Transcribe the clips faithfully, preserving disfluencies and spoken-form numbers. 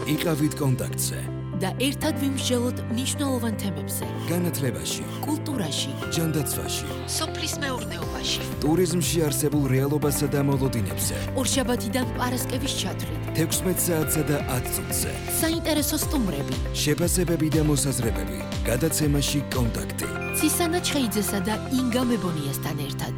იყავით კონტაქტზე და ერთად ვიმსჯელოთ მნიშვნელოვან თემებზე. განათლებაში, კულტურაში, ჯანდაცვაში, სოფლის მეურნეობაში, ტურიზმში არსებულ რეალობასა და მოლოდინებზე. ორშაბათიდან პარასკევის ჩათვლით, თექვსმეტ საათსა და ათ წუთზე. საინტერესო სტუმრები, შეფასებები და მოსაზრებები. გადაცემაში კონტაქტი. ცისანა ჩხეიძესა და ინგა მებონიასთან ერთად.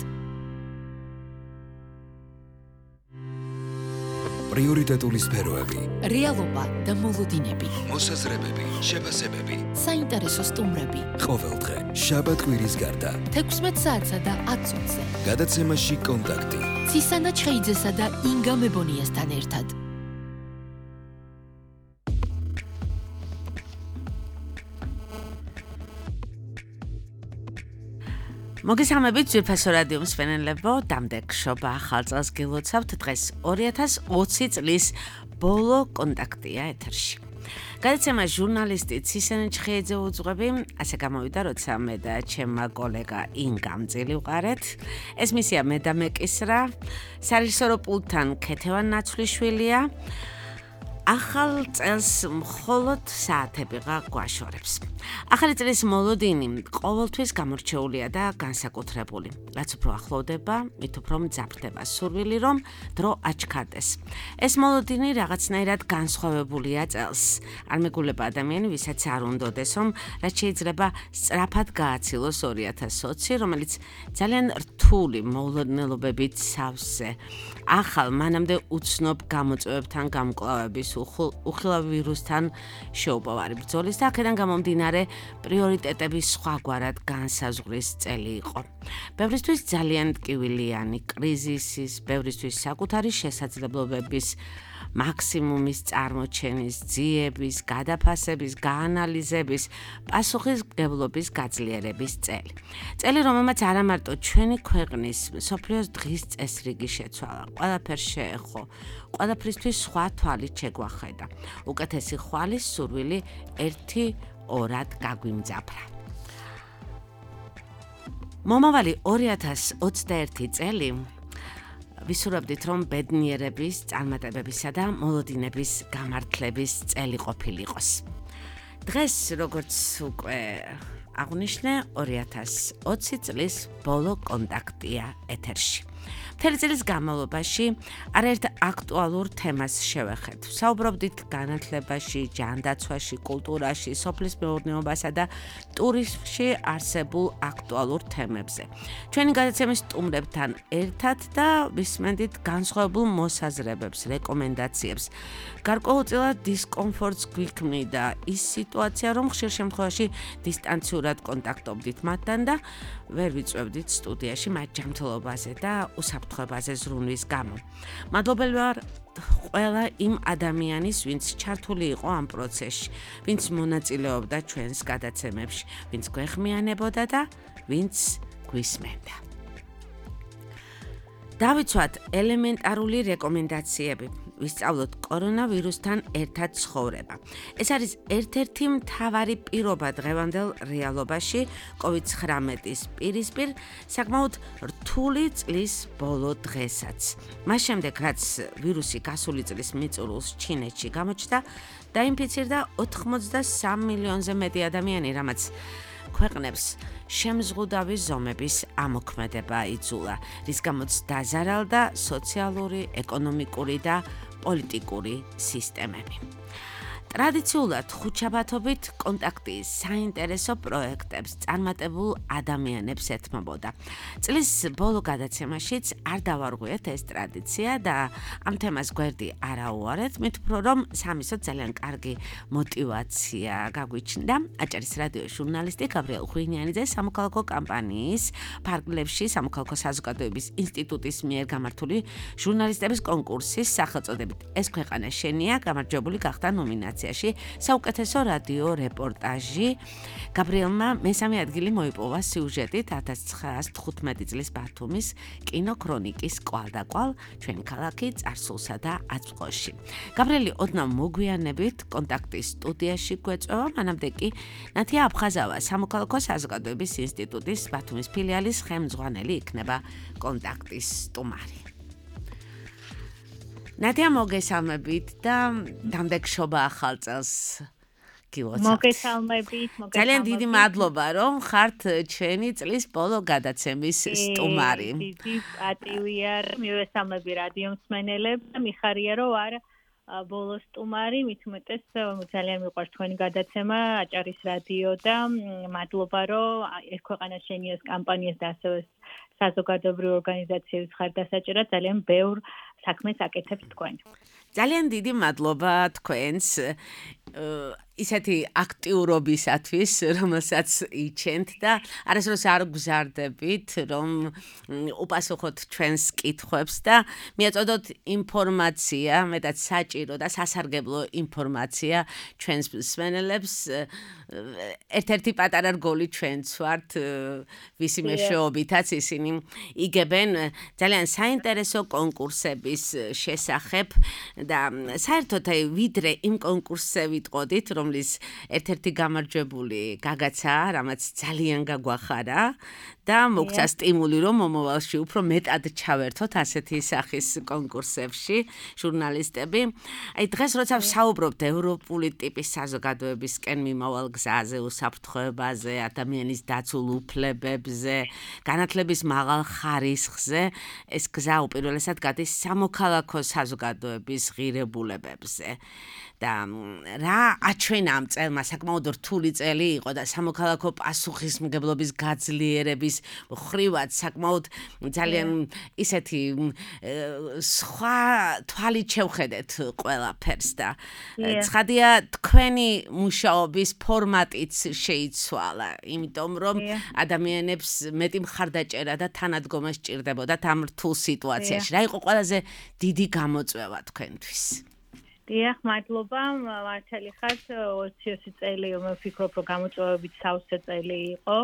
პრიორიტეტული სფეროები. რეალობა და მოლოდინები. მოსაზრებები, შეფასებები. საინტერესო სტუმრები. ყოველდღე, შაბათ-კვირის გარდა. თექვსმეტ საათსა და ათ წუთზე. გადაცემაში კონტაქტი. ცისანა ჩხეიძესა და ინგა მებონიასთან ერთად. მოგესალმებით ძვირფასო რადიო მსმენელებო, დამდეგშობა ახალ წელს გილოცავთ. დღეს ორი ათას ოცი წლის ბოლო კონტაქტია ეთერში. გადაცემა ჟურნალისტი ცისანა ჩხეიძე უძღვები, ასე გამოვიდა, როცა მე და ჩემმა კოლეგა ინგამ წილი ვყარეთ. ეს მისია მე და მეკისრა, სარეჟისორო პულტთან ქეთევან ნაცვლიშვილია. ახალ წელს მხოლოდ საათებიღა გვაშორებს. ახალი წლის მოლოდინი ყოველთვის გამორჩეულია და განსაკუთრებული. რაც უფრო ახლოვდება, მით უფრო მძაფრდება სურვილი, რომ დრო აჩქარდეს. ეს მოლოდინი რაღაცნაირად განსხვავებულია წელს. არ მეგულება ადამიანი, ვისაც არ უნდოდეს, რომ რაც შეიძლება სწრაფად გააცილოს ორი ათას ოცი, რომელიც ძალიან რთული მოულოდნელობებით სავსე. ახალ მანამდე უცნობ გამოწვევებთან გამკლავების უხილავ ვირუსთან შეუპოვარი ბრძოლის და აქედან გამომდინარე პრიორიტეტების სხვაგვარად განსაზღვრის წელი იყო. ბევრისთვის ძალიან ტკივილიანი კრიზისის, ბევრისთვის საკუთარი შესაძლებლობების მაქსიმუმის წარმოჩენის, ძიების, გადაფასების, გაანალიზების, პასუხისმგებლობის გაძლიერების წელი. წელი, რომელმაც არა მარტო ჩვენი ქვეყნის, მსოფლიოს დღის წესრიგი შეცვალა, ყველაფერს შეეხო, ყველაფრისთვის სხვა თვალით შეგვახედა. უკეთესი ხვალის სურვილი ერთი ორად გაგვიმძაფრა. მომავალი ორი ათას ოცდაერთი წელი ვისურვებდით, რომ ბედნიერების, წარმატებებისა და მოლოდინების გამართლების წელი ყოფილიყოს. დღეს, როგორც უკვე აღვნიშნე, ორი ათას ოცი წლის ბოლო კონტაქტია ეთერში. მთელი წლის განმავლობაში არაერთ აქტუალურ თემას შევეხეთ. საუბრობდით განათლებაში, ჯანდაცვაში, კულტურაში, სოფლის მეურნეობასა და ტურიზმში არსებულ აქტუალურ თემებზე. ჩვენი გადაცემის სტუმრებთან ერთად და ვისმენდით განსხვავებულ მოსაზრებებს, რეკომენდაციებს. გარკვეულწილად დისკომფორტს გვიქმნიდა ის სიტუაცია, რომ ხშირ შემთხვევაში დისტანციურად კონტაქტობდით მათთან და ვერ ვიწვევდით სტუდიაში მათ ჯანმრთელობაზე და უსაფრთხოებაზე ზრუნვის გამო. მადლობელი ვარ ყველა იმ ადამიანის, ვინც ჩართული იყო ამ პროცესში, ვინც მონაწილეობდა ჩვენს გადაცემებში, ვინც გვეხმიანებოდა და ვინც გვისმენდა. დავიცვათ ელემენტარული რეკომენდაციები. ვისწავლოთ კორონავირუსთან ერთად ცხოვრება. ეს არის ერთ-ერთი მთავარი პირობა დღევანდელ რეალობაში კოვიდ ცხრამეტის პირისპირ საკმაოდ რთული წლის ბოლო დღესაც. მას შემდეგ, რაც ვირუსი გასული წლის მიწურულს ჩინეთში გამოჩნდა, დაინფიცირდა ოთხმოცდასამ მილიონზე მეტი ადამიანი, რამაც ქვეყნებს შემზღუდავი ზომების ამოქმედება იძულა, რის გამოც დაზარალდა სოციალური, ეკონომიკური და პოლიტიკური სისტემები. ტრადიციულად ხუთშაბათობით კონტაქტი საინტერესო პროექტებს წარმატებულ ადამიანებს ეთმობოდა. წლის ბოლო გადაცემაშიც არ დავარღვიეთ ეს ტრადიცია და ამ თემას გვერდი არ აუარეთ, მით უფრო რომ სამისოთ ძალიან კარგი მოტივაცია გაგვიჩნდა. აჭარის რადიოს ჟურნალისტი გაბრიელ ღვინიანიძე სამოქალაქო კამპანიის ფარგლებში სამოქალაქო საზოგადოების ინსტიტუტის მიერ გამართული ჟურნალისტების კონკურსის სახელწოდებით ეს ქვეყანა შენია გამარჯვებული გახდა ნომინაციაში. საუკეთესო რადიო რეპორტაჟი. გაბრიელმა მესამე ადგილი მოიპოვა სიუჟეტით ათას ცხრაას თხუთმეტი წლის ბათუმის კინოქრონიკის კვალ და კვალ ჩვენი ქალაქი წარსულსა და აწმყოში. გაბრიელი ოდნავ მოგვიანებით კონტაქტის სტუდიაში გვეწვევა, მანამდე კი ნათია აფხაზავა სამოქალაქო საზოგადოების ინსტიტუტის ბათუმის ფილიალის ხელმძღვანელი იქნება კონტაქტის სტუმარი. ნადია მოგესალმებით და დამდეგშობა ახალ წელს გილოცავთ. მოგესალმებით, მოგესალმებით. ძალიან დიდი მადლობა, რომ ხართ ჩვენი წლის ბოლო გადაცემის სტუმარი. დიდი პატივია, მივესალმები რადიო მსმენელებს და მიხარია, რომ არ ბოლო სტუმარი, მით უმეტეს ძალიან მიყვარს თქვენი გადაცემა, აჭარის რადიო და მადლობა, რომ ეს ქვეყანას შენიოს კამპანიას და ასევე საზოგადოებრივი ორგანიზაციების ხარდასაჭერად ძალიან ბევრ საქმეს აკეთებს თქვენ. ძალიან დიდი მადლობა თქვენს ისეთი აქტიურობისათვის, რომელსაც იჩენთ და არასდროს არ გზარდებით, რომ უპასუხოთ ჩვენს კითხვებს და მიაწოდოთ ინფორმაცია, მეტად საჭირო და სასარგებლო ინფორმაცია ჩვენს მსმენელებს. ერთ-ერთი პატარა რგოლი ჩვენც ვართ, ვისი მეშვეობითაც ისინი იგებენ ძალიან საინტერესო კონკურსების შესახებ და საერთოდ ვიდრე იმ კონკურსზე ვიტყოდით, რომლის ერთ-ერთი გამარჯვებული გაგაცა, რამაც ძალიან გაგვახარა და მოგცა სტიმული, რომ მომავალში უფრო მეტად ჩავერთოთ ასეთი სახის კონკურსებში ჟურნალისტები. აი დღეს როცა ვსაუბრობთ ევროპული ტიპის საზოგადოებისკენ მიმავალ გზაზე, უსაფრთხოებაზე, ადამიანის დაცულ უფლებებზე, განათლების მაღალ ხარისხზე, ეს გზა უპირველესად გადის სამოქალაქო საზოგადოების ღირებულებებზე. და რა აჩვენა ამ წელმა საკმაოდ რთული წელი იყო და სამოქალაქო პასუხისმგებლობის გაძლიერების ხრივად საკმაოდ ძალიან ისეთი სხვა თვალით შევხედეთ ყველაფერს და ცხადია თქვენი მუშაობის ფორმატიც შეიცვალა, იმიტომ რომ ადამიანებს მეტი მხარდაჭერა და თანადგომა სჭირდებოდათ ამ რთულ სიტუაციაში. რა იყო ყველაზე დიდი გამოწვევა თქვენთვის? დიახ, მადლობა, მართალი ხართ, ოცი წელი მე ვფიქრობ, რომ გამოწვევებით სავსე წელი იყო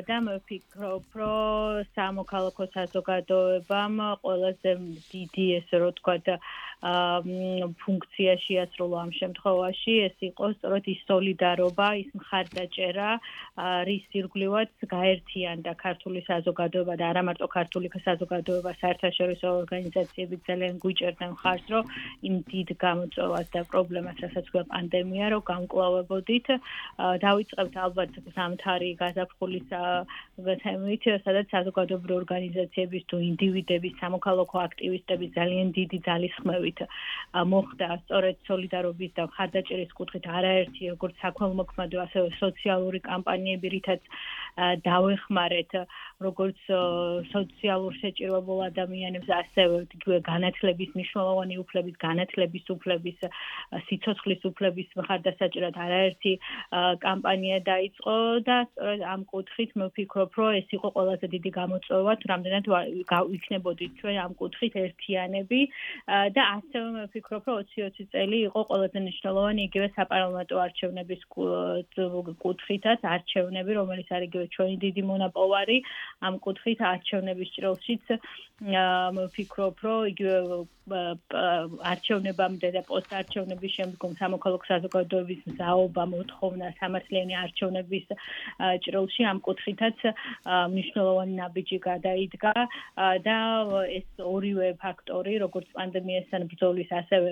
და მე ვფიქრობ, რომ სამოქალაქო საზოგადოებამ ყველაზე დიდი ესე რომ ვთქვათ ფუნქცია შეასრულა ამ შემთხვევაში, ეს იყო სწორედ ის სოლიდარობა, ის მხარდაჭერა, რის ირგვლივაც გაერთიანდა ქართული საზოგადოება და არა მარტო ქართული საზოგადოება, საერთაშორისო ორგანიზაციები ძალიან გვიჭერდნენ მხარს, რომ იმ დიდ გამოწვევას და პრობლემას, რასაც გვაქვს პანდემია, რომ გამკლავებოდით. დავიწყებთ ალბათ ზამთარი გაზაფხულის თემით, სადაც საზოგადოებრივი ორგანიზაციების თუ ინდივიდების, სამოქალაქო აქტივისტების ძალიან დიდი ძალისხმევით მოხდა სწორედ სოლიდარობის და მხარდაჭერის კუთხით არაერთი როგორც საქველმოქმედო, ასევე სოციალური კამპანიები, რითაც დავეხმარეთ როგორც სოციალურ შეჭირებულ ადამიანებს, ასევე განათლების მნიშვნელოვანი უფლების, განათლების უფლების, სიცოცხლის უფლების მხარდასაჭერად არაერთი კამპანია დაიწყო და სწორედ ამ კუთხით მე ვფიქრობ, რომ ეს იყო ყველაზე დიდი გამოწვევა, თუ რამდენად ვიქნებოდით ჩვენ ამ კუთხით ერთიანები და ასევე მე ვფიქრობ, რომ ოცი ოცი წელი იყო ყველაზე მნიშვნელოვანი იგივე საპარლამენტო არჩევნების კუთხითაც, არჩევნები, რომელიც არის იგივე ჩვენი დიდი მონაპოვარი, ამ კუთხით არჩევნების ჭრილშიც მე ვფიქრობ, რომ იგივე არჩევნებამდე და პოსტარჩევნების შემდგომ სამოქალაქო საზოგადოების მზაობა, მოთხოვნა სამართლიანი არჩევნების ჭრილში ამ კუთხითაც მნიშვნელოვანი ნაბიჯი გადაიდგა და ეს ორივე ფაქტორი, როგორც პანდემიასთან ბრძოლის, ასევე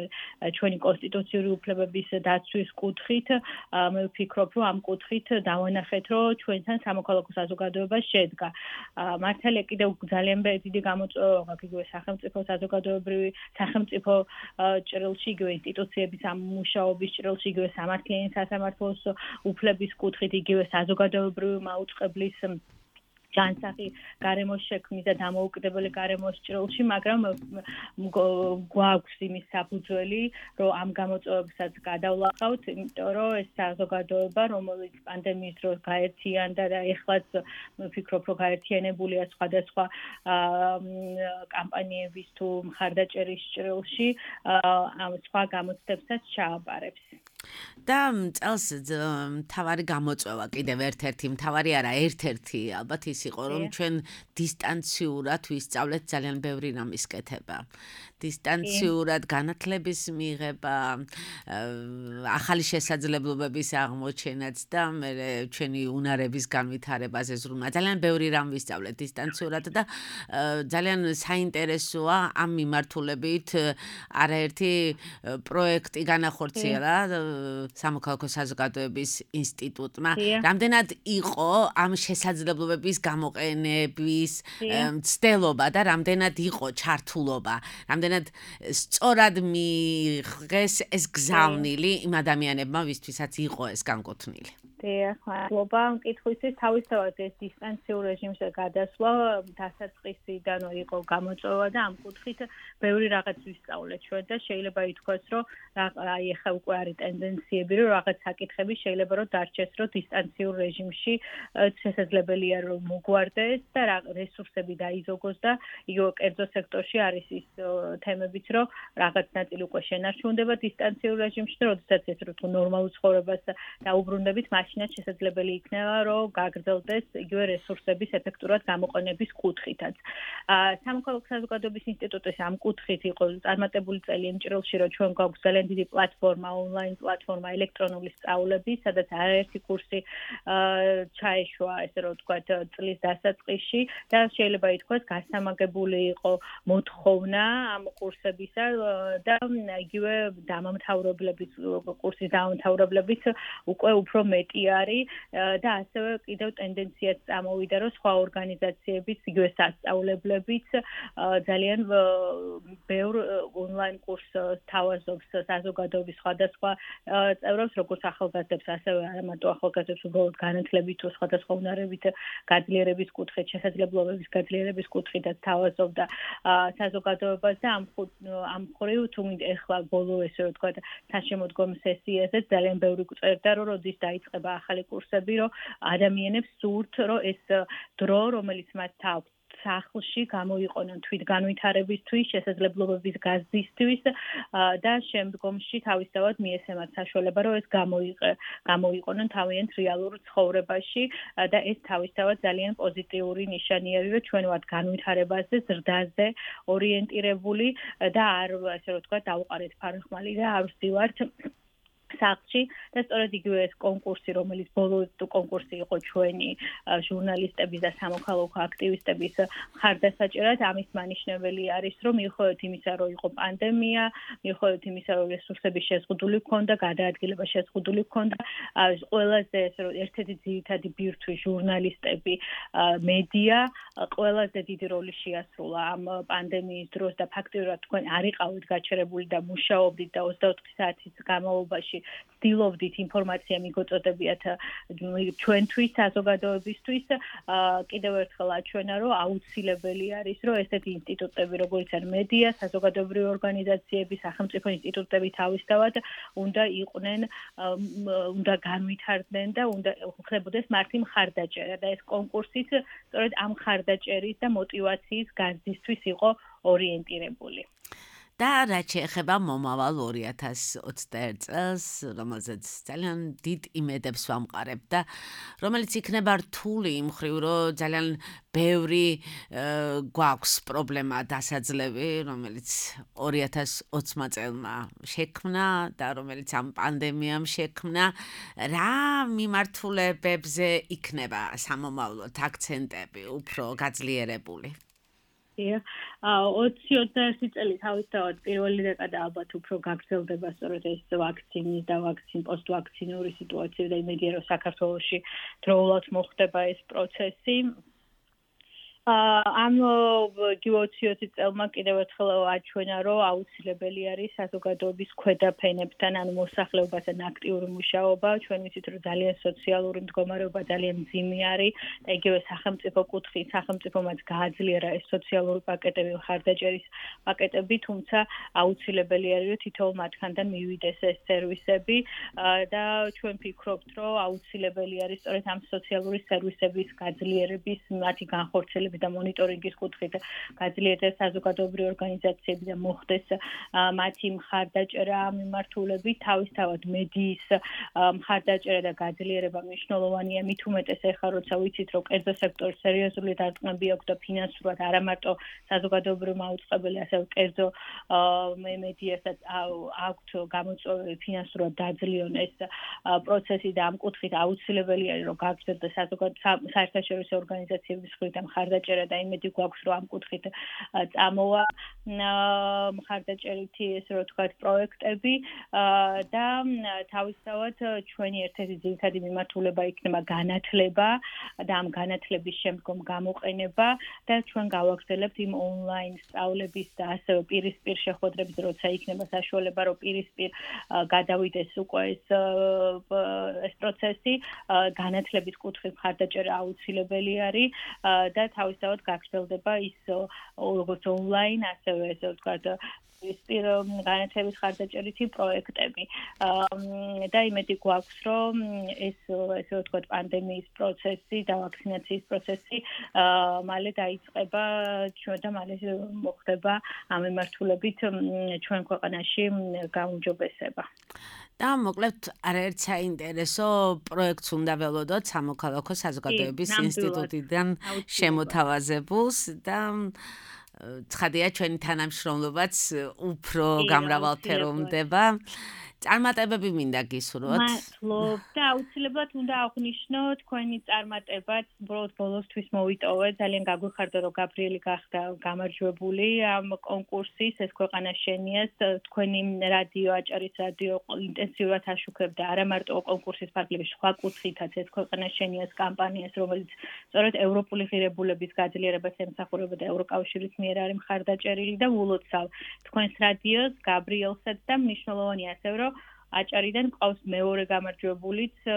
ჩვენი კონსტიტუციური უფლებების დაცვის კუთხით, მე ვფიქრობ, რომ ამ კუთხით დავანახეთ, რომ ჩვენთან სამოქალაქო საზოგადოება შედგა. მართალია კიდევ ძალიან დიდი გამოწვევა აქვს იგივე სახელმწიფო საზოგადოებრივი სახელმწიფო ჭრილში, იგივე ინსტიტუციების ამუშაობის ჭრილში, იგივე სამართლიანი სასამართლოს უფლების კუთხით, იგივე საზოგადოებრივი მაუწყებლის ჯანსაღი გარემოს შექმნის და დამოუკიდებელი გარემოს ჭრილში, მაგრამ გვაქვს იმის საფუძველი, რომ ამ გამოწვევებსაც გადავლახავთ, იმიტომ რომ ეს საზოგადოება, რომელიც პანდემიის დროს გაერთიანდა და ეხლაც მე ვფიქრობ, რომ გაერთიანებულია სხვადასხვა კამპანიების თუ მხარდაჭერის ჭრილში, ამ სხვა გამოცდებსაც ჩააბარებს. და წელს მთავარი გამოწვევა კიდევ ერთ-ერთი, მთავარი არა, ერთ-ერთი ალბათ ის იყო, რომ ჩვენ დისტანციურად ვისწავლეთ ძალიან ბევრი რამის კეთება. დისტანციურად განათლების მიღება, ახალი შესაძლებლობების აღმოჩენაც და მე ჩვენი უნარების განვითარებაზე ზრუნვა. ძალიან ბევრი რამ ვისწავლეთ დისტანციურად და ძალიან საინტერესოა ამ მიმართულებით არაერთი პროექტი განახორციელა სამოქალაქო საზოგადოების ინსტიტუტმა. რამდენად იყო ამ შესაძლებლობების გამოყენების მცდელობა და რამდენად იყო ჩართულობა, რამდენად სწორად მიიღეს ეს გზავნილი იმ ადამიანებმა, ვისთვისაც იყო ეს განკუთვნილი. დიახ, მადლობა. მკითხვისთვის თავისთავად ეს დისტანციურ რეჟიმზე გადასვლა დასაწყისიდანვე იყო გამოწვევა და ამ კუთხით ბევრი რაღაც ვისწავლეთ ჩვენ და შეიძლება ითქვას, რომ აი ახლა უკვე არის ტენდენციები, რომ რაღაც საკითხები შეიძლება რომ დარჩეს, რომ დისტანციურ რეჟიმში შესაძლებელია რომ მოგვარდეს და რესურსები დაიზოგოს და იგივე კერძო სექტორში არის ის თემებიც, რომ რაღაც ნაწილი უკვე შენარჩუნდება დისტანციურ რეჟიმში და როდესაც ეს რო ნორმალურ ცხოვრებას დაუბრუნდებით, მაშინაც შესაძლებელი იქნება, რომ გაგრძელდეს იგივე რესურსების ეფექტურად გამოყენების კუთხითაც. სამოქალაქო საზოგადოების ინსტიტუტის ამ კუთხით იყო წარმატებული წელი იმ ჭრილში, რომ ჩვენ გვაქვს ძალიან დიდი პლატფორმა, ონლაინ პლატფორმა ელექტრონული სწავლები, სადაც არაერთი კურსი ჩაეშვა, ესე რომ ვთქვათ, წლის დასაწყისში და შეიძლება ითქვას, გასამაგებული იყო მოთხოვნა ამ კურსებისა და იგივე დამამთავრებლებიც კურსის დამამთავრებლებიც უკვე უფრო მეტი არის და ასევე კიდევ ტენდენციაც წამოვიდა, რომ სხვა ორგანიზაციებიც, იგივე სასწავლებლებიც ძალიან ბევრ ონლაინ კურსს თავაზობს საზოგადოების სხვადასხვა წევრებს, როგორც ახალგაზრდებს, ასევე არამარტო ახალგაზრდებს, უბრალოდ განათლებით თუ სხვადასხვა უნარებით გაძლიერების კუთხით, შესაძლებლობების გაძლიერების კუთხითაც თავაზობდა საზოგადოებას და ამ ამ მხრივ თუ ეხლა ბოლო ესე რომ ვთქვათ, საშემოდგომო სესიაზე ძალიან ბევრი წერდა, რომ როდის დაიწყება ახალი კურსები, რომ ადამიანებს სურთ, რომ ეს დრო, რომელიც მათ აქვს სახლში გამოიყენონ თვითგანვითარებისთვის, შესაძლებლობების გაზრდისთვის და შემდგომში თავისთავად მიესემათ საშუალება, რომ ეს გამოიყენონ თავიანთ რეალურ ცხოვრებაში და ეს თავისთავად ძალიან პოზიტიური ნიშანი არის, რომ ჩვენ ვართ განვითარებაზე, ზრდაზე ორიენტირებული და არ ასე რომ ვთქვათ, დავუყარეთ ფარხმალი და არ ვსდივართ სახლში და სწორედ იგივე ეს კონკურსი, რომელიც ბოლო კონკურსი იყო ჩვენი ჟურნალისტების და სამოქალაქო აქტივისტების მხარდასაჭერად, ამის მანიშნებელი არის, რომ მიუხედავად იმისა, რომ იყო პანდემია, მიუხედავად იმისა, რომ რესურსების შეზღუდული ჰქონდა, გადაადგილება შეზღუდული ჰქონდა, ყველაზე ესე რომ ერთ-ერთი ძირითადი ბირთვი ჟურნალისტები, მედია ყველაზე დიდი როლი შეასრულა ამ პანდემიის დროს და ფაქტიურად თქვენ არ იყავით გაჩერებული და მუშაობდით და ოცდაოთხი საათის განმავლობაში ვცდილობდით ინფორმაცია მიგოწოდებიათ ჩვენთვის, საზოგადოებისთვის, კიდევ ერთხელ აჩვენა, რომ აუცილებელი არის, რომ ესეთი ინსტიტუტები, როგორც არის მედია, საზოგადოებრივი ორგანიზაციები, სახელმწიფო ინსტიტუტები თავისთავად უნდა იყვნენ, უნდა განვითარდნენ და უნდა ხდებოდეს მართი მხარდაჭერა და ეს კონკურსიც სწორედ ამ მხარდაჭერის და мотиваციის გაზრდისთვის იყო ორიენტირებული. და რაც შეეხება მომავალ ორი ათას ოცდაერთ წელს, რომელზეც ძალიან დიდ იმედებს ვამყარებ და რომელიც იქნება რთული იმ მხრივ, რომ ძალიან ბევრი გვაქვს პრობლემა დასაძლევი, რომელიც ორი ათას ოცდაათმა წელმა შექმნა და რომელიც ამ პანდემიამ შექმნა, რა მიმართულებებზე იქნება სამომავლოდ აქცენტები უფრო გაძლიერებული? ოცი ოცდაერთი წელი თავისთავად პირველი დეკადა ალბათ უფრო გაგრძელდება სწორედ ეს ვაქცინის და ვაქცინ პოსტვაქცინური სიტუაცია და იმედია რომ საქართველოში დროულად მოხდება ეს პროცესი. ამ ოცი ოცი წელმა კიდევ ერთხელ აჩვენა, რომ აუცილებელი არის საზოგადოების ქვედა ფენებთან, ანუ მოსახლეობასთან აქტიური მუშაობა. ჩვენ ვიცით, რომ ძალიან სოციალური მდგომარეობა ძალიან მძიმე არის და იგივე სახელმწიფო კუთხით, სახელმწიფომაც გააძლიერა ეს სოციალური პაკეტები, მხარდაჭერის პაკეტები, თუმცა აუცილებელი არის, რომ თითოეულ მათგანთან მივიდეს ეს სერვისები და ჩვენ ვფიქრობთ, რომ აუცილებელი არის სწორედ ამ სოციალური სერვისების გაძლიერების, მათი განხორციელების ინფორმაციების და მონიტორინგის კუთხით გაძლიერდეს საზოგადოებრივი ორგანიზაციები და მოხდეს მათი მხარდაჭერა ამ მიმართულებით. თავისთავად მედიის მხარდაჭერა და გაძლიერება მნიშვნელოვანია, მით უმეტეს ეხლა როცა ვიცით, რომ კერძო სექტორის სერიოზული დარტყმები აქვს და ფინანსურად არა მარტო საზოგადოებრივ მაუწყებელი, ასევე კერძო მედიასაც აქვთ გამოწვევები ფინანსურად დაძლიონ ეს პროცესი და ამ კუთხით აუცილებელია რომ გაგრძელდეს საერთაშორისო ორგანიზაციების მხრიდან მხარდაჭერა და იმედი გვაქვს რომ ამ კუთხით წამოვა მხარდაჭერითი ესე რომ ვთქვათ პროექტები და თავისთავად ჩვენი ერთ-ერთი ძირითადი მიმართულება იქნება განათლება და ამ განათლების შემდგომ გამოყენება და ჩვენ გავაგრძელებთ იმ ონლაინ სწავლების და ასევე პირისპირ შეხვედრების როცა იქნება საშუალება რომ პირისპირ გადავიდეს უკვე ეს ეს პროცესი განათლების კუთხით მხარდაჭერა აუცილებელი არის და თავისთავად გაგრძელდება ის როგორც ონლაინ ასევე ესე ვთქვათ პირისპირ განათლების მხარდაჭერითი პროექტები და იმედი გვაქვს რომ ეს ესე ვთქვათ პანდემიის პროცესი და ვაქცინაციის პროცესი მალე დაიწყება ჩვენ და მალე მოხდება ამ მიმართულებით ჩვენ ქვეყანაში გაუმჯობესება. და მოკლედ არაერთ საინტერესო პროექტს უნდა ველოდოთ სამოქალაქო საზოგადოების ინსტიტუტიდან შემოთავაზებულს და ცხადია ჩვენი თანამშრომლობაც უფრო გამრავალფეროვნება. წარმატებები მინდა გისურვოთ. მადლობ და აუცილებლად უნდა აღვნიშნო თქვენი წარმატებაც უბრალოდ ბოლოსთვის მოვიტოვე. ძალიან გაგვიხარდა რომ გაბრიელი გახდა გამარჯვებული ამ კონკურსის ეს ქვეყანა შენიას თქვენი რადიო აჭარის რადიო ინტენსიურად აშუქებდა არა მარტო კონკურსის ფარგლების სხვა კუთხითაც ეს ქვეყანა შენიას კამპანიას რომელიც სწორედ ევროპული ღირებულების გაძლიერებას ემსახურება და ევროკავშირის მიერ არის მხარდაჭერილი და ულოცავ თქვენს რადიოს გაბრიელსაც და მნიშვნელოვანია ასევე რომ აჭარიდან ყავს მეორე გამარჯვებულიც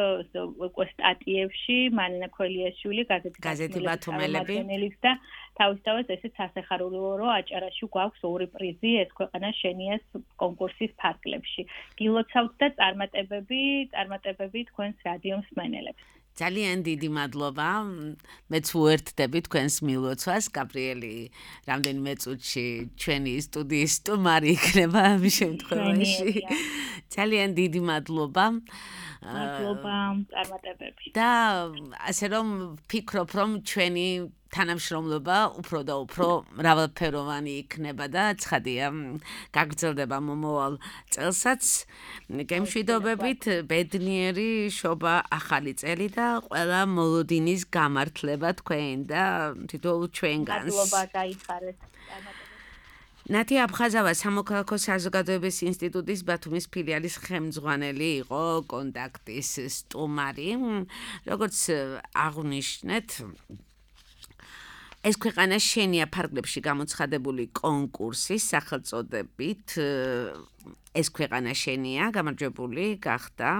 უკვე სტატიებში მარინა ქველიაშვილი გაზეთი ბათუმელები და თავისთავად ესეც სასახარულოა რომ აჭარაში გვაქვს ორი პრიზი ეს ქვეყანა შენიას კონკურსის ფარგლებში. გილოცავთ და წარმატებები, წარმატებები თქვენს რადიო მსმენელებს. ძალიან დიდი მადლობა. მეც უერთდები თქვენს მილოცვას. გაბრიელი რამდენიმე წუთში ჩვენი სტუდიის სტუმარი იქნება ამ შემთხვევაში. ძალიან დიდი მადლობა. მადლობა, წარმატებები. და ასე რომ ფიქრობ რომ ჩვენი თანამშრომლობა უფრო და უფრო მრავალფეროვანი იქნება და ცხადია გაგრძელდება მომავალ წელსაც. გემშვიდობებით, ბედნიერი შობა ახალი წელი და ყველა მოლოდინის გამართლება თქვენ და თითოეულ ჩვენგანს. მადლობა, გაიხარეთ. ნათი აფხაზავა სამოქალაქო საზოგადოების ინსტიტუტის ბათუმის ფილიალის ხელმძღვანელი იყო კონტაქტის სტუმარი. როგორც აღვნიშნეთ, ეს ქვეყანა შენია ფარგლებში გამოცხადებული კონკურსის სახელწოდებით ეს ქვეყანა შენია გამარჯვებული გახდა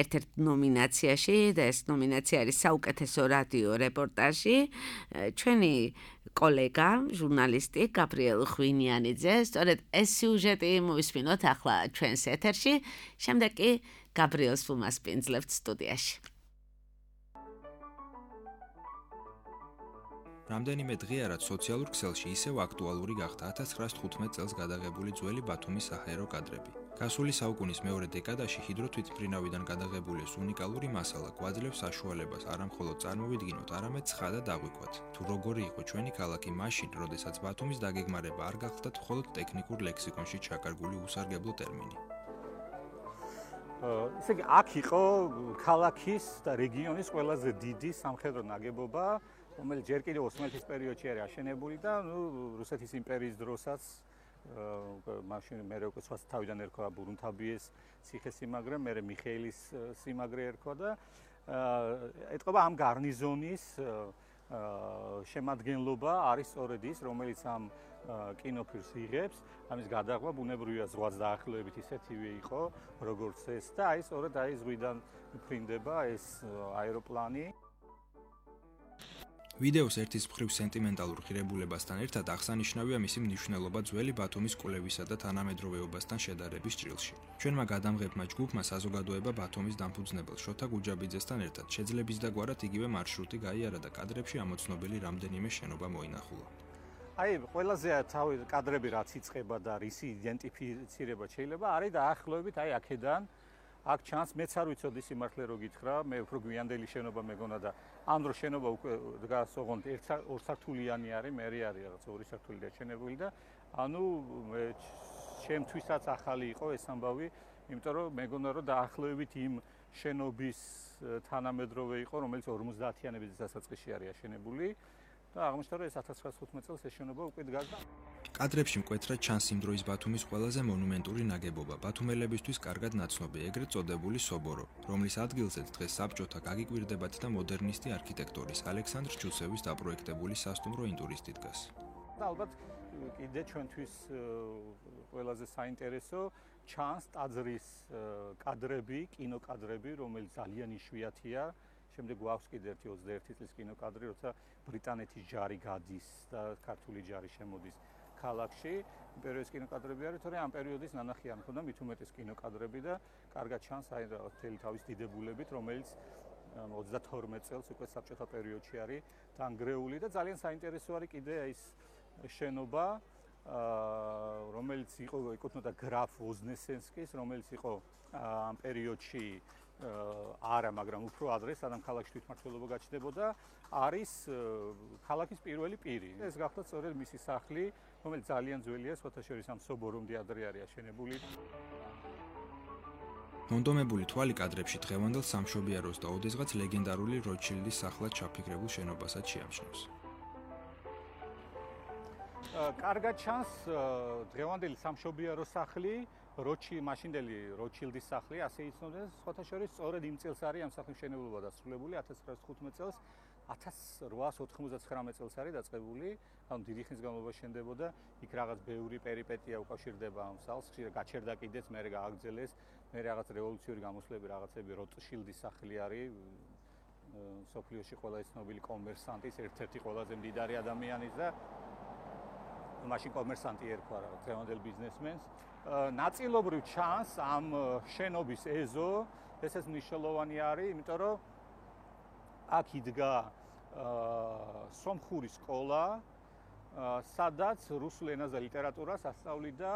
ერთ-ერთ ნომინაციაში და ეს ნომინაცია არის საუკეთესო რადიო რეპორტაჟი. ჩვენი კოლეგა, ჟურნალისტი გაბრიელ ხვინიანიძე, სწორედ ეს სიუჟეტი მოვისმინოთ ახლა ჩვენს ეთერში, შემდეგ კი გაბრიელს ვუმასპინძლებთ სტუდიაში. რამდენიმე დღეა რაც სოციალურ ქსელში ისევ აქტუალური გახდა ათას ცხრაას თხუთმეტ წელს გადაღებული ძველი ბათუმის საჰაერო კადრები. გასული საუკუნის მეორე დეკადაში ჰიდროთვითმფრინავიდან გადაღებული ეს უნიკალური მასალა გვაძლევს საშუალებას არა მხოლოდ წარმოვიდგინოთ, არამედ ცხადად დაგვიქვათ, თუ როგორი იყო ჩვენი ქალაქი მაშინ, როდესაც ბათუმის დაგეგმარება არ გახლდათ მხოლოდ ტექნიკურ ლექსიკონში ჩაკარგული უსარგებლო ტერმინი. ესე იგი, აქ იყო ქალაქის და რეგიონის ყველაზე დიდი სამხედრო ნაგებობა, რომელიც ჯერ კიდევ ოსმალეთის პერიოდში არის აშენებული და ნუ რუსეთის იმპერიის დროსაც მაშინ მე უკვე სხვა თავიდან ერქვა ბურუნთაბიეს ციხესიმაგრე, მე მიხეილის სიმაგრე ერქვა და ეთყობა ამ გარნიზონის შემადგენლობა არის სწორედ ის, რომელიც ამ კინოფილმს იღებს, ამის გადაღება ბუნებრივია ზღვას დაახლოებით ისეთივე იყო, როგორც ეს და აი სწორედ აი ზღვიდან მფრინდება ეს აეროპლანი. ვიდეოს ერთის მხრივ სენტიმენტალურ ღირებულებასთან ერთად აღსანიშნავია მისი მნიშვნელობა ძველი ბათუმის კვლევისა და თანამედროვეობასთან შედარების ჭრილში. ჩვენმა გადამღებმა ჯგუფმა საზოგადოება ბათუმის დამფუძნებელ შოთა გუჯაბიძესთან ერთად შეძლების და გვარად იგივე მარშრუტი გაიარა და კადრებში ამოცნობილი რამდენიმე შენობა მოინახულა. აი, ყველაზე თავი კადრები რაც იწყება და რისი იდენტიფიცირება შეიძლება არის დაახლოებით აი აქედან აქ ჩანს, მეც არ ვიცოდი სიმართლე რო გითხრა, მე უფრო გვიანდელი შენობა მეგონა და ამ დრო შენობა უკვე დგას ოღონდ ორსართულიანი არის, მერე არის რაღაც ორი სართული დაშენებული და ანუ მე ჩემთვისაც ახალი იყო ეს ამბავი, იმიტომ რომ მეგონა რომ დაახლოებით იმ შენობის თანამედროვე იყო, რომელიც ორმოცდაათიანების დასაწყისში არის აშენებული და აღმოჩნდა რომ ეს ათას ცხრაას თხუთმეტ წელს ეს შენობა უკვე დგას და კადრებში მკვეთრად ჩანს იმ დროის ბათუმის ყველაზე მონუმენტური ნაგებობა, ბათუმელებისთვის კარგად ნაცნობი, ეგრეთ წოდებული სობორო, რომლის ადგილზეც დღეს საბჭოთა გაგიკვირდებათ და მოდერნისტი არქიტექტორის ალექსანდრ ჩუსევის დაპროექტებული სასტუმრო ინტურისტი დგას. და ალბათ კიდე ჩვენთვის ყველაზე საინტერესო ჩანს ტაძრის კადრები, კინოკადრები, რომელიც ძალიან იშვიათია. შემდეგ გვაქვს კიდე ერთი ოცდაერთი წლის კინოკადრი, როცა ბრიტანეთის ჯარი გადის და ქართული ჯარი შემოდის ქალაქში. პერიოდის კინოკადრები არის, თორე ამ პერიოდის ნანახი არ მქონდა, მით უმეტეს კინოკადრები და კარგად ჩანს აი მთელი თავის დიდებულებით, რომელიც ოცდათორმეტ წელს უკვე საბჭოთა პერიოდში არის დანგრეული და ძალიან საინტერესო არის კიდე ის შენობა, რომელიც იყო ეკუთვნოდა გრაფ ვოზნესენსკის, რომელიც იყო ამ პერიოდში არა, მაგრამ უფრო ადრე, სანამ ქალაქში თვითმმართველობა გაჩნდებოდა, არის ქალაქის პირველი პირი. ეს გახლავთ სწორედ მისი სახლი, რომელიც ძალიან ძველია, სხვათა შორის ამ სობორომდე ადრე არის აშენებული. მონდომებული თვალი კადრებში დღევანდელ სამშობიაროს და ოდესღაც ლეგენდარული როჩილდის სახლად ჩაფიქრებულ შენობასაც შეამჩნევს. კარგად ჩანს დღევანდელი სამშობიარო სახლი, როჩი მაშინდელი როჩილდის სახლი, ასე იცნობდნენ, სხვათა შორის სწორედ იმ წელს არის ამ სახლის მშენებლობა დასრულებული, ათას ცხრაას თხუთმეტ წელს, ათას რვაას ოთხმოცდათხრამეტ წელს არის დაწყებული, ანუ დიდი ხნის განმავლობაში შენდებოდა, იქ რაღაც ბევრი პერიპეტია უკავშირდება ამ სახლს, ხშირად გაჩერდა კიდეც, მერე გააგრძელეს, მერე რაღაც რევოლუციური გამოსვლები, რაღაცები, როტშილდის სახლი არის, სოფლიოში ყველა ცნობილი კომერსანტის, ერთ-ერთი ყველაზე მდიდარი ადამიანის და მაშინ კომერსანტი ერქვა რაღაც დღევანდელ ბიზნესმენს. ნაწილობრივ ჩანს ამ შენობის ეზო, ესეც მნიშვნელოვანი არის, იმიტომ რომ აქ იდგა სომხური სკოლა, სადაც რუსულ ენას და ლიტერატურას ასწავლიდა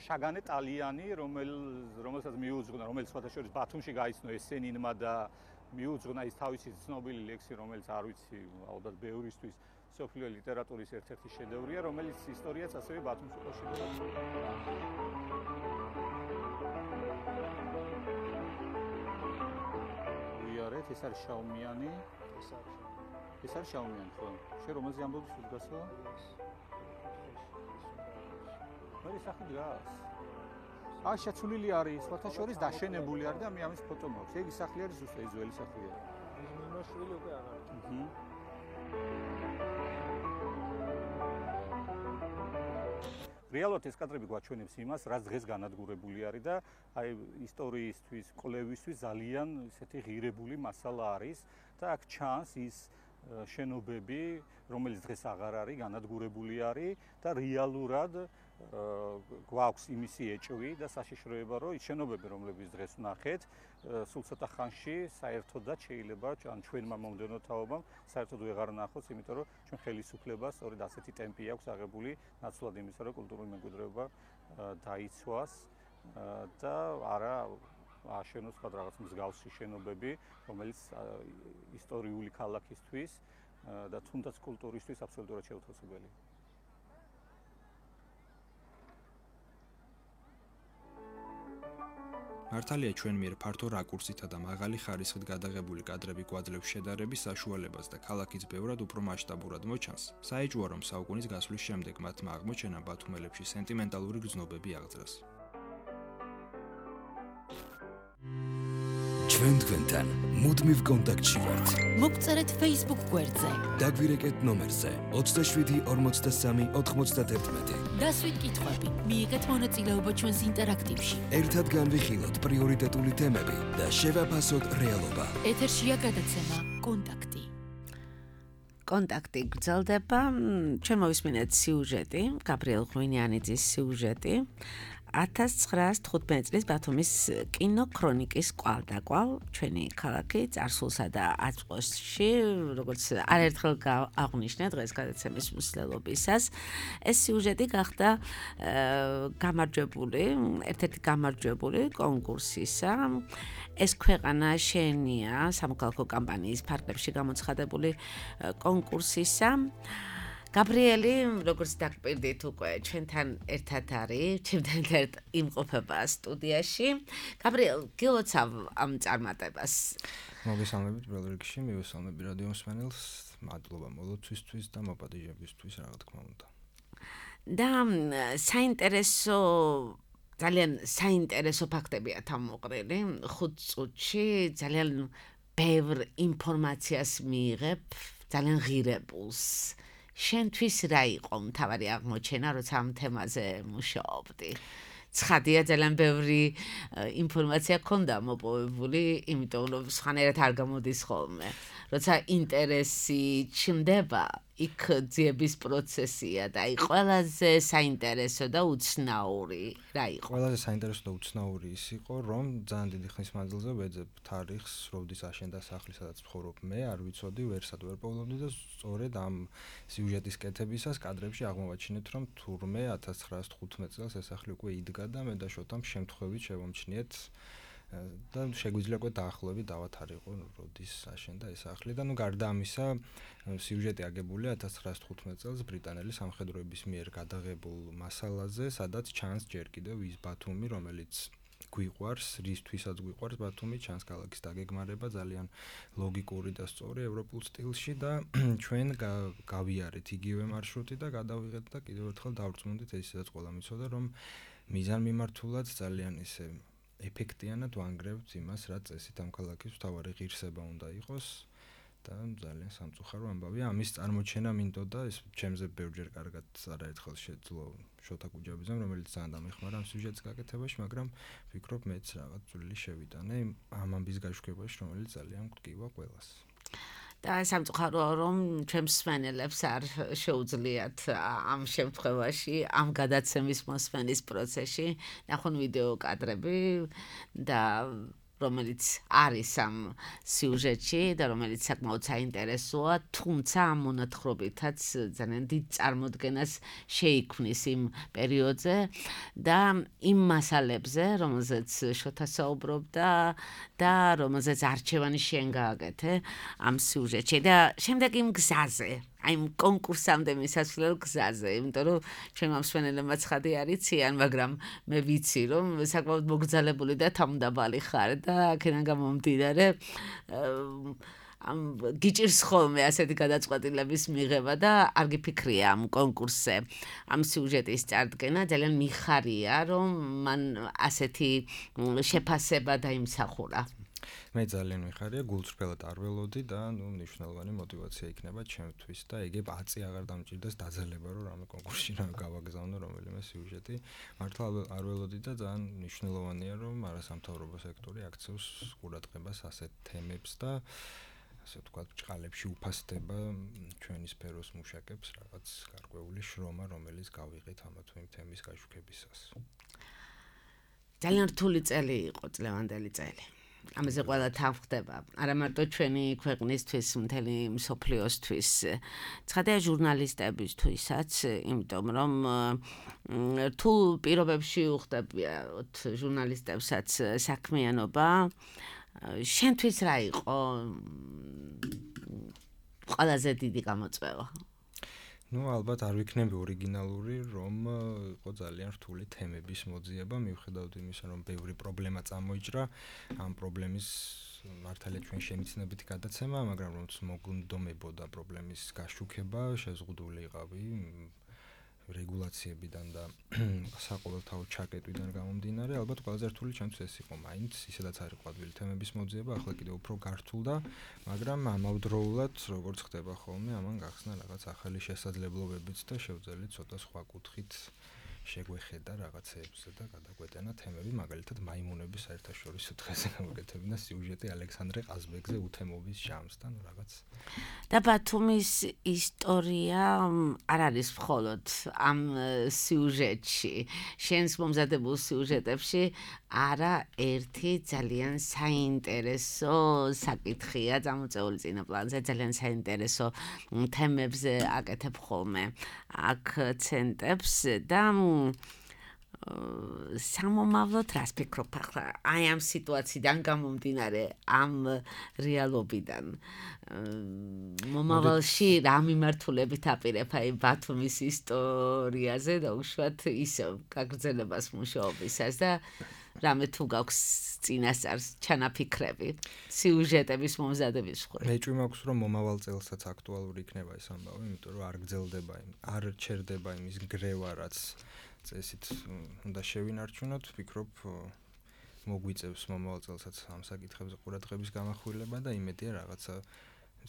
შაგანე ტალიანი, რომელსაც მიუძღვნა, რომელიც სხვათა შორის ბათუმში გაიცნო ესენინმა და მიუძღვნა ის თავისი ცნობილი ლექსი, რომელიც არ ვიცი, ალბათ ბევრისთვის სოფლიო ლიტერატურის ერთ-ერთი შედევრია, რომელიც ისტორიაც ასევე ბათუმს უკავშირდება. ვიარეთ, ეს არის შაუმიანი. ეს არის შაუმიანი. ეს არის შაუმიანი, ხო? შენ რომელზე ამბობ სულ გასო? მე სახი დგას. აი შეცვლილი არის, სხვათა შორის დაშენებული არის და მე ამის ფოტო მაქვს. ეგ სახლი არის ზუსტად ის ძველი სახლია. ეს მიმოშლილი უკვე არ არის. აჰა. რეალურად ეს კადრები გვაჩვენებს იმას, რაც დღეს განადგურებული არის და აი ისტორიისთვის, კვლევისთვის ძალიან ისეთი ღირებული მასალა არის და აქ ჩანს ის შენობები, რომელიც დღეს აღარ არის, განადგურებული არის და რეალურად გვაქვს იმისი ეჭვი და საშიშროება, რომ ის შენობები, რომლებიც დღეს ვნახეთ, სულ ცოტა ხანში საერთოდაც შეიძლება ან ჩვენმა მომდევნო თაობამ საერთოდ ვეღარ ნახოთ, იმიტომ რომ ჩვენ ხელისუფლებას სწორედ ასეთი ტემპი აქვს აღებული, ნაცვლად იმისა, რომ კულტურული მემკვიდრეობა დაიცვას და არა აშენოს სხვა რაღაც მსგავსი შენობები, რომელიც ისტორიული ქალაქისთვის და თუნდაც კულტურისთვის აბსოლუტურად შეუთავსებელია. მართალია ჩვენ მიერ ფართო რაკურსითა და მაღალი ხარისხით გადაღებული კადრები გვაძლევს შედარების საშუალებას და ქალაქიც ბევრად უფრო მასშტაბურად მოჩანს. საეჭვოა რომ საუკუნის გასვლის შემდეგ მათმა აღმოჩენამ ბათუმელებში სენტიმენტალური გრძნობები აღძრას. ჩვენ თქვენთან მუდმივ კონტაქტში ვართ. მოგწერეთ Facebook გვერდზე. დაგვირეკეთ ნომერზე ოცდაშვიდი ორმოცდასამი ოთხმოცდაათი. დასვით კითხვები, მიიღეთ მონაწილეობა ჩვენს ინტერაქტივში. ერთად განვიხილოთ პრიორიტეტული თემები და შევაფასოთ რეალობა. ეთერშია გადაცემა კონტაქტი. კონტაქტი გრძელდება. ჩვენ მოვისმინეთ სიუჟეტი, გაბრიელ ღვინიანიძის სიუჟეტი. ათას ცხრაას თხუთმეტი წლის ბათუმის კინოქრონიკის კვალდაკვალ ჩვენი ქალაქი წარსულსა და აწყვოში, როგორც არაერთხელ აღვნიშნე დღეს გადაცემის მსვლელობისას, ეს სიუჟეტი გახდა გამარჯვებული, ერთ-ერთი გამარჯვებული კონკურსისა. ეს ქვეყანა შენია სამოქალაქო კამპანიის ფარგლებში გამოცხადებული კონკურსისა. გაბრიელი, როგორც დაგპირდით უკვე ჩვენთან ერთად არის, ჩვენთან ერთად იმყოფება სტუდიაში. გაბრიელ, გილოცავ ამ წარმატებას. მოგესალმებით პირველ რიგში, მივესალმები რადიო მსმენელს, მადლობა მოლოცვისთვის და მოპატიჟებისთვის, რა თქმა უნდა. და საინტერესო ძალიან საინტერესო ფაქტებია თავმოყრილი ხუთ წუთში, ძალიან ბევრ ინფორმაციას მიიღებ, ძალიან ღირებულს. შენთვის რა იყო მთავარი აღმოჩენა, როცა ამ თემაზე მუშაობდი? ცხადია, ძალიან ბევრი ინფორმაცია ქონდა მოპოვებული, იმიტომ რომ სხვანაირად არ გამოდის ხოლმე. როცა ინტერესი ჩნდება, იქ ძიების პროცესია და აი ყველაზე საინტერესო და უცნაური რა იყო? ყველაზე საინტერესო და უცნაური ის იყო, რომ ძალიან დიდი ხნის მანძილზე ვეძებ თარიღს, როდის აშენდა სახლი, სადაც ვცხოვრობ მე, არ ვიცოდი, ვერსად ვერ პოვლობდი და სწორედ ამ სიუჟეტის კეთებისას კადრებში აღმოვაჩინეთ, რომ თურმე ათას ცხრაას თხუთმეტ წელს ეს სახლი უკვე იდგა და მე და შოთამ შემთხვევით შევამჩნიეთ და შეგვიძლია უკვე დაახლოებით დავათარიღო, როდის აშენდა ეს სახლი და ნუ გარდა ამისა, სიუჟეტი აგებულია ათას ცხრაას თხუთმეტ წელს ბრიტანელი სამხედროების მიერ გადაღებულ მასალაზე, სადაც ჩანს ჯერ კიდევ ის ბათუმი, რომელიც გვიყვარს, რისთვისაც გვიყვარს ბათუმი, ჩანს ქალაქის დაგეგმარება ძალიან ლოგიკური და სწორი ევროპულ სტილში და ჩვენ გავიარეთ იგივე მარშრუტი და გადავიღეთ და კიდევ ერთხელ დავრწმუნდით, ისედაც ყველა მიცოდა, რომ მიზან მიმართულად ძალიან ისე ეფექტიანად ვანგრევთ იმას, რა წესით ამ ქალაქის მთავარი ღირსება უნდა იყოს და ძალიან სამწუხარო ამბავია. ამის წარმოჩენა მინდოდა, ეს ჩემზე ბევრჯერ კარგად არაერთხელ შეძლო შოთა გუჯაბიძემ, რომელიც ძალიან დამეხმარა ამ სიუჟეტის გაკეთებაში, მაგრამ ვფიქრობ მეც რაღაც წვლილი შევიტანე ამ ამბის გაშვებაში, რომელიც ძალიან გვტკივა ყველას. და სამწუხაროა, რომ ჩვენს მსმენელებს არ შეუძლიათ ამ შემთხვევაში, ამ გადაცემის მოსმენის პროცესში ნახონ ვიდეო კადრები და რომელიც არის ამ სიუჟეტში და რომელიც საკმაოდ საინტერესოა, თუმცა ამ მონათხრობითაც ძალიან დიდ წარმოდგენას შეიქმნის იმ პერიოდზე და იმ მასალებზე, რომელზეც შოთა საუბრობდა და რომელზეც არჩევანი შენ გააკეთე ამ სიუჟეტში და შემდეგ იმ გზაზე, აი იმ კონკურსამდე მისასვლელ გზაზე, იმიტომ რომ ჩვენ მსმენელებმა ცხადი არ იციან, მაგრამ მე ვიცი, რომ საკმაოდ მოგრძალებული და თავმდაბალი ხარ და აქედან გამომდინარე ამ გიჭირს ხოლმე ასეთი გადაწყვეტილების მიღება და არ გიფიქრია ამ კონკურსზე ამ სიუჟეტის წარდგენა, ძალიან მიხარია, რომ მან ასეთი შეფასება დაიმსახურა. მე ძალიან მიხარია, გულწრფელად არ ველოდი და ნუ მნიშვნელოვანი мотиваცია იქნება ჩემთვის და ეგებ აწი აღარ დამჭირდეს დაძალება, რომ რამე კონკურსში რა გავაგზავნო რომელიმე სიუჟეტი. მართლა არ ველოდი და ძალიან მნიშვნელოვანია, რომ არასამთავრობო სექტორი აქცევს ყურადღებას ასეთ თემებს და ასე ვთქვათ, ბრჭყალებში უფასდება ჩვენი სფეროს მუშაკებს რაღაც გარკვეული შრომა, რომელიც გავიღეთ ამა თუ იმ თემის გაშვებისას. ძალიან რთული წელი იყო, წლევანდელი წელი. ამაზე ყველა თავხდება, არა მარტო ჩვენი ქვეყნისთვის, მთელი მსოფლიოსთვის, ცხადია ჟურნალისტებისთვისაც, იმიტომ რომ რთულ პირობებში უხდებიათ ჟურნალისტებსაც საქმიანობა. შენთვის რა იყო ყველაზე დიდი გამოწვევა? ნუ ალბათ არ ვიქნები ორიგინალური, რომ იყო ძალიან რთული თემების მოძიება, მიუხედავად იმისა, რომ ბევრი პრობლემა წამოიჭრა, ამ პრობლემის მართალია ჩვენ შემიცნებით გადაცემა, მაგრამ რომ მოგუნდომებოდა პრობლემის გაშუქება, შეზღუდული იყავი რეგულაციებიდან და საყოველთაო ჩაკეტვიდან გამომდინარე, ალბათ ყველაზე რთული ჩემთვის ეს იყო მაინც, ისედაც არის ყვავილი თემების მოძიება, ახლა კიდევ უფრო გართულდა, მაგრამ ამავდროულად, როგორც ხდება ხოლმე, ამან გახსნა რაღაც ახალი შესაძლებლობებიც და შევძელით ცოტა სხვა კუთხით შეგვეხედა რაღაცეებზე და გადაგვეტანა თემები, მაგალითად მაიმუნების საერთაშორისო დღეზე გამოკეთებინა სიუჟეტი ალექსანდრე ყაზბეგზე უთემობის ჟამს და ნუ რაღაც. და ბათუმის ისტორია არ არის მხოლოდ ამ სიუჟეტში, შენს მომზადებულ სიუჟეტებში არა ერთი ძალიან საინტერესო საკითხია წამოწეული წინა პლანზე, ძალიან საინტერესო თემებზე აკეთებ ხოლმე აქცენტებს და სამომავლოდ რას ფიქრობ ახლა აი ამ სიტუაციიდან გამომდინარე ამ რეალობიდან მომავალში რა მიმართულებით აპირებ აი ბათუმის ისტორიაზე და უშუალოდ ისევ გაგრძელებას მუშაობისას და რამე თუ გაქვს წინასწარ ჩანაფიქრები სიუჟეტების მომზადების მხრივ. მეჭვი მაქვს რომ მომავალ წელსაც აქტუალური იქნება ეს ამბავი, იმიტომ რომ არ გრძელდება, არ ჩერდება იმის გრევა, რაც წესით უნდა შევინარჩუნოთ, ვფიქრობ მოგვიწევს მომავალ წელსაც ამ საკითხებზე ყურადღების გამახვილება და იმედია რაღაცა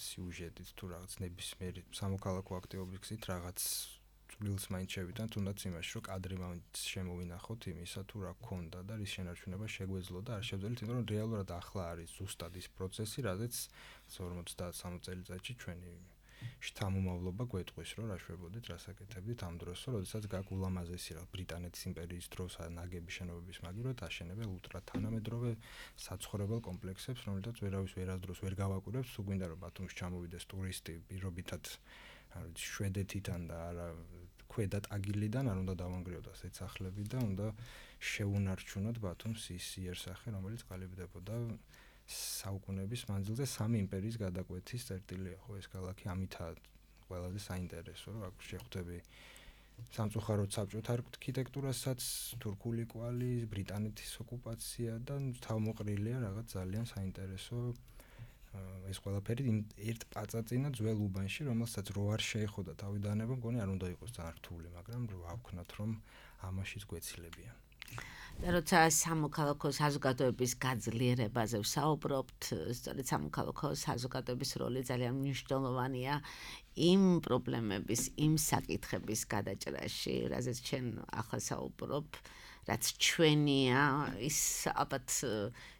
სიუჟეტით თუ რაღაც ნებისმიერი სამოქალაქო აქტივობის გზით რაღაც წვლილს მაინც შევიტანთ, თუნდაც იმაში, რომ კადრი მაინც შემოვინახოთ იმისა თუ რა გქონდა და რის შენარჩუნება შეგვეძლო და არ შევძელით, იმიტომ რომ რეალურად ახლა არის ზუსტად ის პროცესი, რაზეც ორმოცდასამი წელიწადში ჩვენი შთამომავლობა გვეტყვის, რომ რა შვებოდით, რა საკეთებდით ამ დროს, როდესაც გაქვს ულამაზესი რა ბრიტანეთის იმპერიის დროს ნაგები შენობების მაგივრად აშენებელ ულტრა თანამედროვე საცხოვრებელ კომპლექსებს, რომელთაც ვერავის ვერასდროს ვერ გავაკვირებს, თუ გვინდა რომ ბათუმში ჩამოვიდეს ტურისტი პირობითად არ ვიცი შვედეთიდან და არა ქვედა ტაგილიდან არ უნდა დავანგრიოთ ეს სახლები და უნდა შეუნარჩუნოთ ბათუმს ის იერსახე, რომელიც ყალიბდებოდა საუკუნეების მანძილზე სამი იმპერიის გადაკვეთის წერტილია, ხო ეს ქალაქი ამითაა ყველაზე საინტერესო, რომ აქ შეხვდები სამწუხაროდ საბჭოთა არქიტექტურასაც, თურქული კვალი, ბრიტანეთის ოკუპაცია და თავმოყრილია რაღაც ძალიან საინტერესო ეს ყველაფერი ერთ პაწაწინა ძველ უბანში, რომელსაც რო არ შეეხოდა თავიდანება, მგონი არ უნდა იყოს ძალიან რთული, მაგრამ რო ავქნათ, რომ ამაშიც გვეცილებიან. და როცა სამოქალაქო საზოგადოების გაძლიერებაზე ვსაუბრობთ, სწორედ სამოქალაქო საზოგადოების როლი ძალიან მნიშვნელოვანია იმ პრობლემების, იმ საკითხების გადაჭრაში, რაზეც ჩვენ ახლა საუბრობ, რაც ჩვენია, ის ალბათ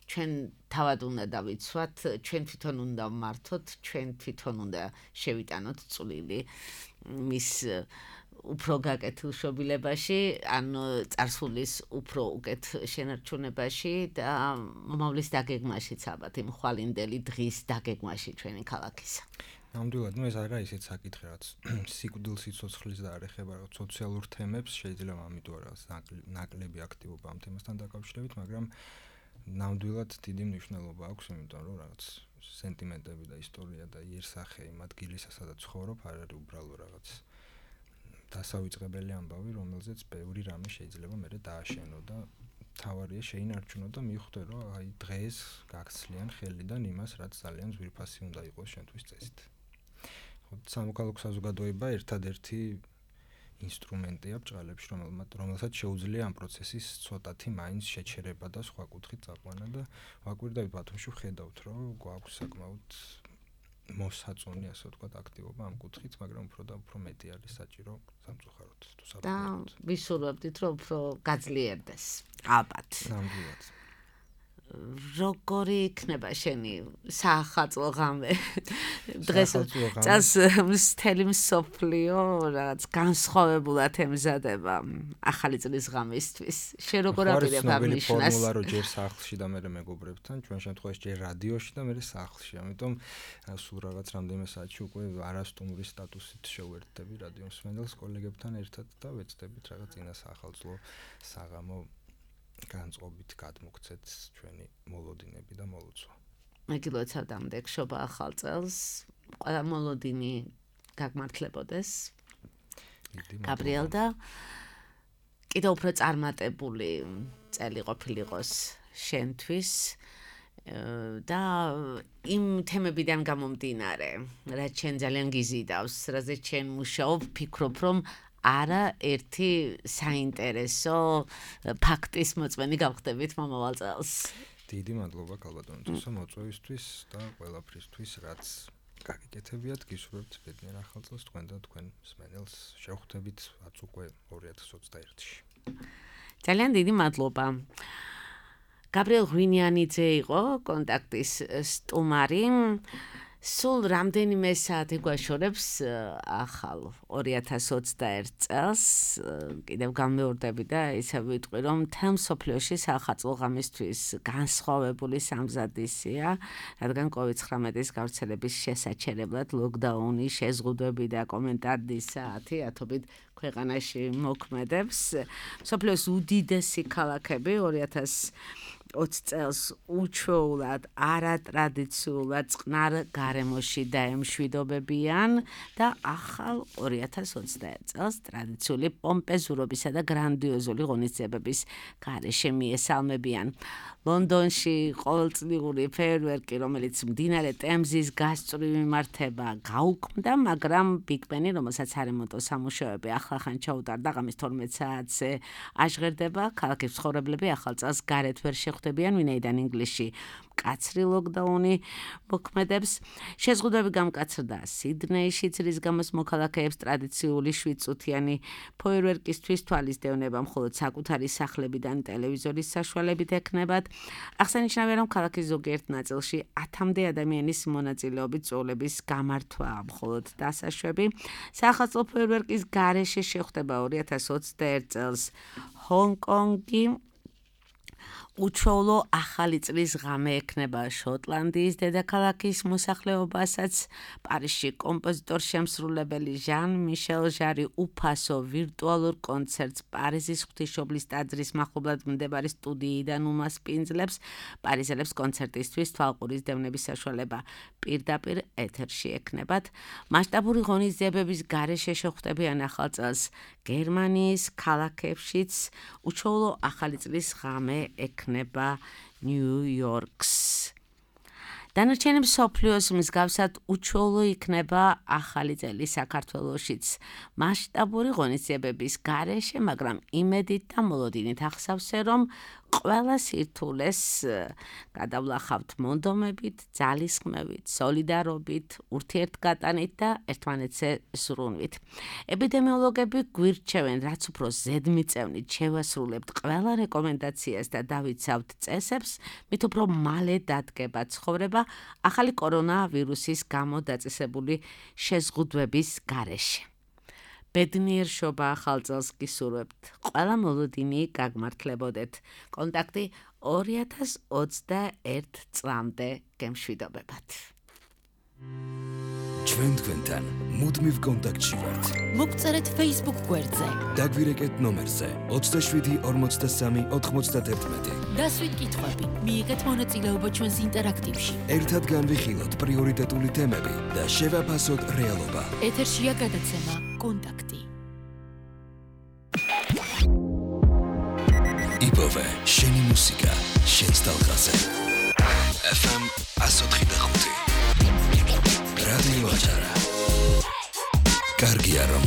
ჩვენ თავად უნდა დავიცვათ, ჩვენ თვითონ უნდა ვმართოთ, ჩვენ თვითონ უნდა შევიტანოთ წვლილი მის უფრო გაკეთილ შობილებაში, ანუ წარსულის უფრო უკეთ შენარჩუნებაში და მომავლის დაგეგმაშიც ალბათ იმ ხვალინდელი დღის დაგეგმაში ჩვენი ქალაქისა. ნამდვილად, ნუ ეს არა ისეთ საკითხი, რაც სიკვდილს იცოცხლის და არ ეხება რაღაც სოციალურ თემებს, შეიძლება ამიტომ რაღაც ნაკლები აქტივობა ამ თემასთან დაკავშირებით, მაგრამ ნამდვილად დიდი მნიშვნელობა აქვს, იმიტომ რომ რაღაც სენტიმენტები და ისტორია და იერსახე იმ ადგილისა, სადაც ცხოვრობ, არ არის უბრალო რაღაც დასავიწყებელი ამბავი, რომელზეც ბევრი რამე შეიძლება მერე დააშენო და თავარია შეინარჩუნო და მიხვდე, რომ აი დღეს გაგცლიან ხელიდან იმას, რაც ძალიან ძვირფასი უნდა იყოს შენთვის წესით. ხო, სამოქალაქო საზოგადოება ერთადერთი ინსტრუმენტია ბჭყალებში, რომელსაც შეუძლია ამ პროცესის ცოტათი მაინც შეჩერება და სხვა კუთხით წაყვანა და ვაკვირდებით ბათუმში ვხედავთ, რომ გვაქვს საკმაოდ მოსაწონი, ასე ვთქვათ, აქტივობა ამ კუთხით, მაგრამ უფრო და უფრო მეტი არის საჭირო სამწუხაროდ თუ საბოლოოდ. და ვისურვებდით, რომ უფრო გაძლიერდეს. ალბათ. ნამდვილად. როგორი იქნება შენი საახალწლო ღამე? დღეს წას მთელი მსოფლიო რაღაც განსხვავებულად ემზადება ახალი წლის ღამისთვის. შენ როგორ აპირებ აღნიშნას? ფორმულა რო ჯერ სახლში და მე მეგობრებთან, ჩვენ შემთხვევაში ჯერ რადიოში და მე სახლში. ამიტომ სულ რაღაც რამდენიმე საათში უკვე არასტუმური სტატუსით შევერთდები რადიო მსმენელს კოლეგებთან ერთად და ვეცდებით რაღაც წინა საახალწლო საღამო განწყობით გადმოგცეთ ჩვენი მოლოდინები და მოლოცვა. მეგილოცავ დამდეგშობა ახალ წელს, ყველა მოლოდინი გაგმართლებოდეს. გაბრიელ და კიდევ უფრო წარმატებული წელი ყოფილიყოს შენთვის და იმ თემებიდან გამომდინარე, რაც ჩვენ ძალიან გიზიდავს, რაზეც ჩვენ მუშაობ, ფიქრობ, რომ არა ერთი საინტერესო ფაქტის მოწმენი გავხდებით მომავალ წელს. დიდი მადლობა ქალბატონთვისა მოწვევისთვის და ყველაფრისთვის, რაც გაგიკეთებიათ, გისურვებთ ბედნიერ ახალ წელს თქვენ და თქვენ მსმენელს. შევხვდებით ათს უკვე ორი ათას ოცდაერთში. ძალიან დიდი მადლობა. გაბრიელ ღვინიანიძე იყო კონტაქტის სტუმარი. სულ რამდენიმე საათი გვაშორებს ახალ ორი ათას ოცდაერთ წელს კიდევ გამეორდები და ისე ვიტყვი რომ მთელ მსოფლიოში სახალხო ღამისთვის განსხვავებული სამზადისია, რადგან კოვიდ ცხრამეტის გავრცელების შესაჩერებლად ლოკდაუნი, შეზღუდვები და კომენტარების საათი ათობით ქვეყანაში მოქმედებს. მსოფლიოს უდიდესი ქალაქები ორი ათას ოცი წელს უჩვეულად არატრადიციულად წყნარ გარემოში დაემშვიდობებიან და ახალ ორი ათას ოცდაერთ წელს ტრადიციული პომპეზურობისა და გრანდიოზული ღონისძიებების გარეშე მიესალმებიან. ლონდონში ყოველწლიური ფეიერვერკი, რომელიც მდინარე ტემზის გასწვრივ იმართება, გაუქმდა, მაგრამ ბიგ ბენი, რომელსაც არემონტო სამუშაოები ახლახან ჩაუტარდა, ღამის თორმეტ საათზე აჟღერდება. ქალაქის მცხოვრებლები ახალ წელს გარეთ ვერ შეხვდებიან, ვინაიდან ინგლისში მკაცრი ლოკდაუნი მოქმედებს. შეზღუდვები გამკაცრდა სიდნეიში, რის გამოც მოქალაქეებს ტრადიციული შვიდწუთიანი ფეიერვერკისთვის თვალისდევნება მხოლოდ საკუთარი სახლებიდან ტელევიზორის საშუალებით ექნებათ. აღსანიშნავია, რომ ქალაქის ზოგიერთ ნაწილში ათამდე ადამიანის მონაწილეობით წვეულების გამართვა მხოლოდ დასაშვები. საახალწლო ფეიერვერკის გარეშე შეხვდება ორი ათას ოცდაერთ წელს ჰონგ-კონგი. უჩვეულო ახალი წლის ღამე ექნება შოტლანდიის დედაქალაქის მოსახლეობასაც. პარიზში კომპოზიტორ შემსრულებელი ჟან მიშელ ჟარი უფასო ვირტუალურ კონცერტს პარიზის ღვთისმშობლის ტაძრის მახლობლად მდებარე სტუდიიდან უმასპინძლებს. პარიზელებს კონცერტისთვის თვალყურის დევნების საშუალება პირდაპირ ეთერში ექნებათ. მასშტაბური ღონისძიებების გარეშე შეხვდებიან ახალ წელს გერმანიის ქალაქებშიც. უჩვეულო ახალი წლის ღამე ექნება ნიუ-იორკს. დანარჩენი მსოფლიოს მსგავსად უჩვეულო იქნება ახალი წელი საქართველოშიც. მასშტაბური ღონისძიებების გარეშე, მაგრამ იმედით და მოლოდინით ახსავსე, რომ ყველა სირთულეს გადავლახავთ მონდომებით, ძალისხმევით, სოლიდარობით, ურთიერთგატანით და ერთმანეთზე ზრუნვით. ეპიდემიოლოგები გვირჩევენ, რაც უფრო ზედმიწევნით შევასრულებთ ყველა რეკომენდაციას და დავიცავთ წესებს, მით უფრო მალე დადგება ცხოვრება ახალი კორონავირუსის გამო დაწესებული შეზღუდვების გარეშე. ბედნიერ შობა ახალ წელს გისურვებთ. ყველა მოლოდინი გაგმართლებოდეთ. კონტაქტი ორი ათას ოცდაერთ წლამდე გემშვიდობებათ. ჩვენ თქვენთან მუდმივ კონტაქტში ვართ. მოგწერეთ Facebook გვერდზე. დაგვირეკეთ ნომერზე ოცდაშვიდი ორმოცდასამი ოთხმოცდაათერთმეტი. დასვით კითხვები, მიიღეთ მონაწილეობა ჩვენს ინტერაქტივში. ერთად განვიხილოთ პრიორიტეტული თემები და შევაფასოთ რეალობა. ეთერშია გადაცემა კონტაქტი. იპოვე შენი მუსიკა, შენს ტალღაზე. ეფ ემ εκατო ოთხი და ხუთი. რადიო აჭარა. კარგია რომ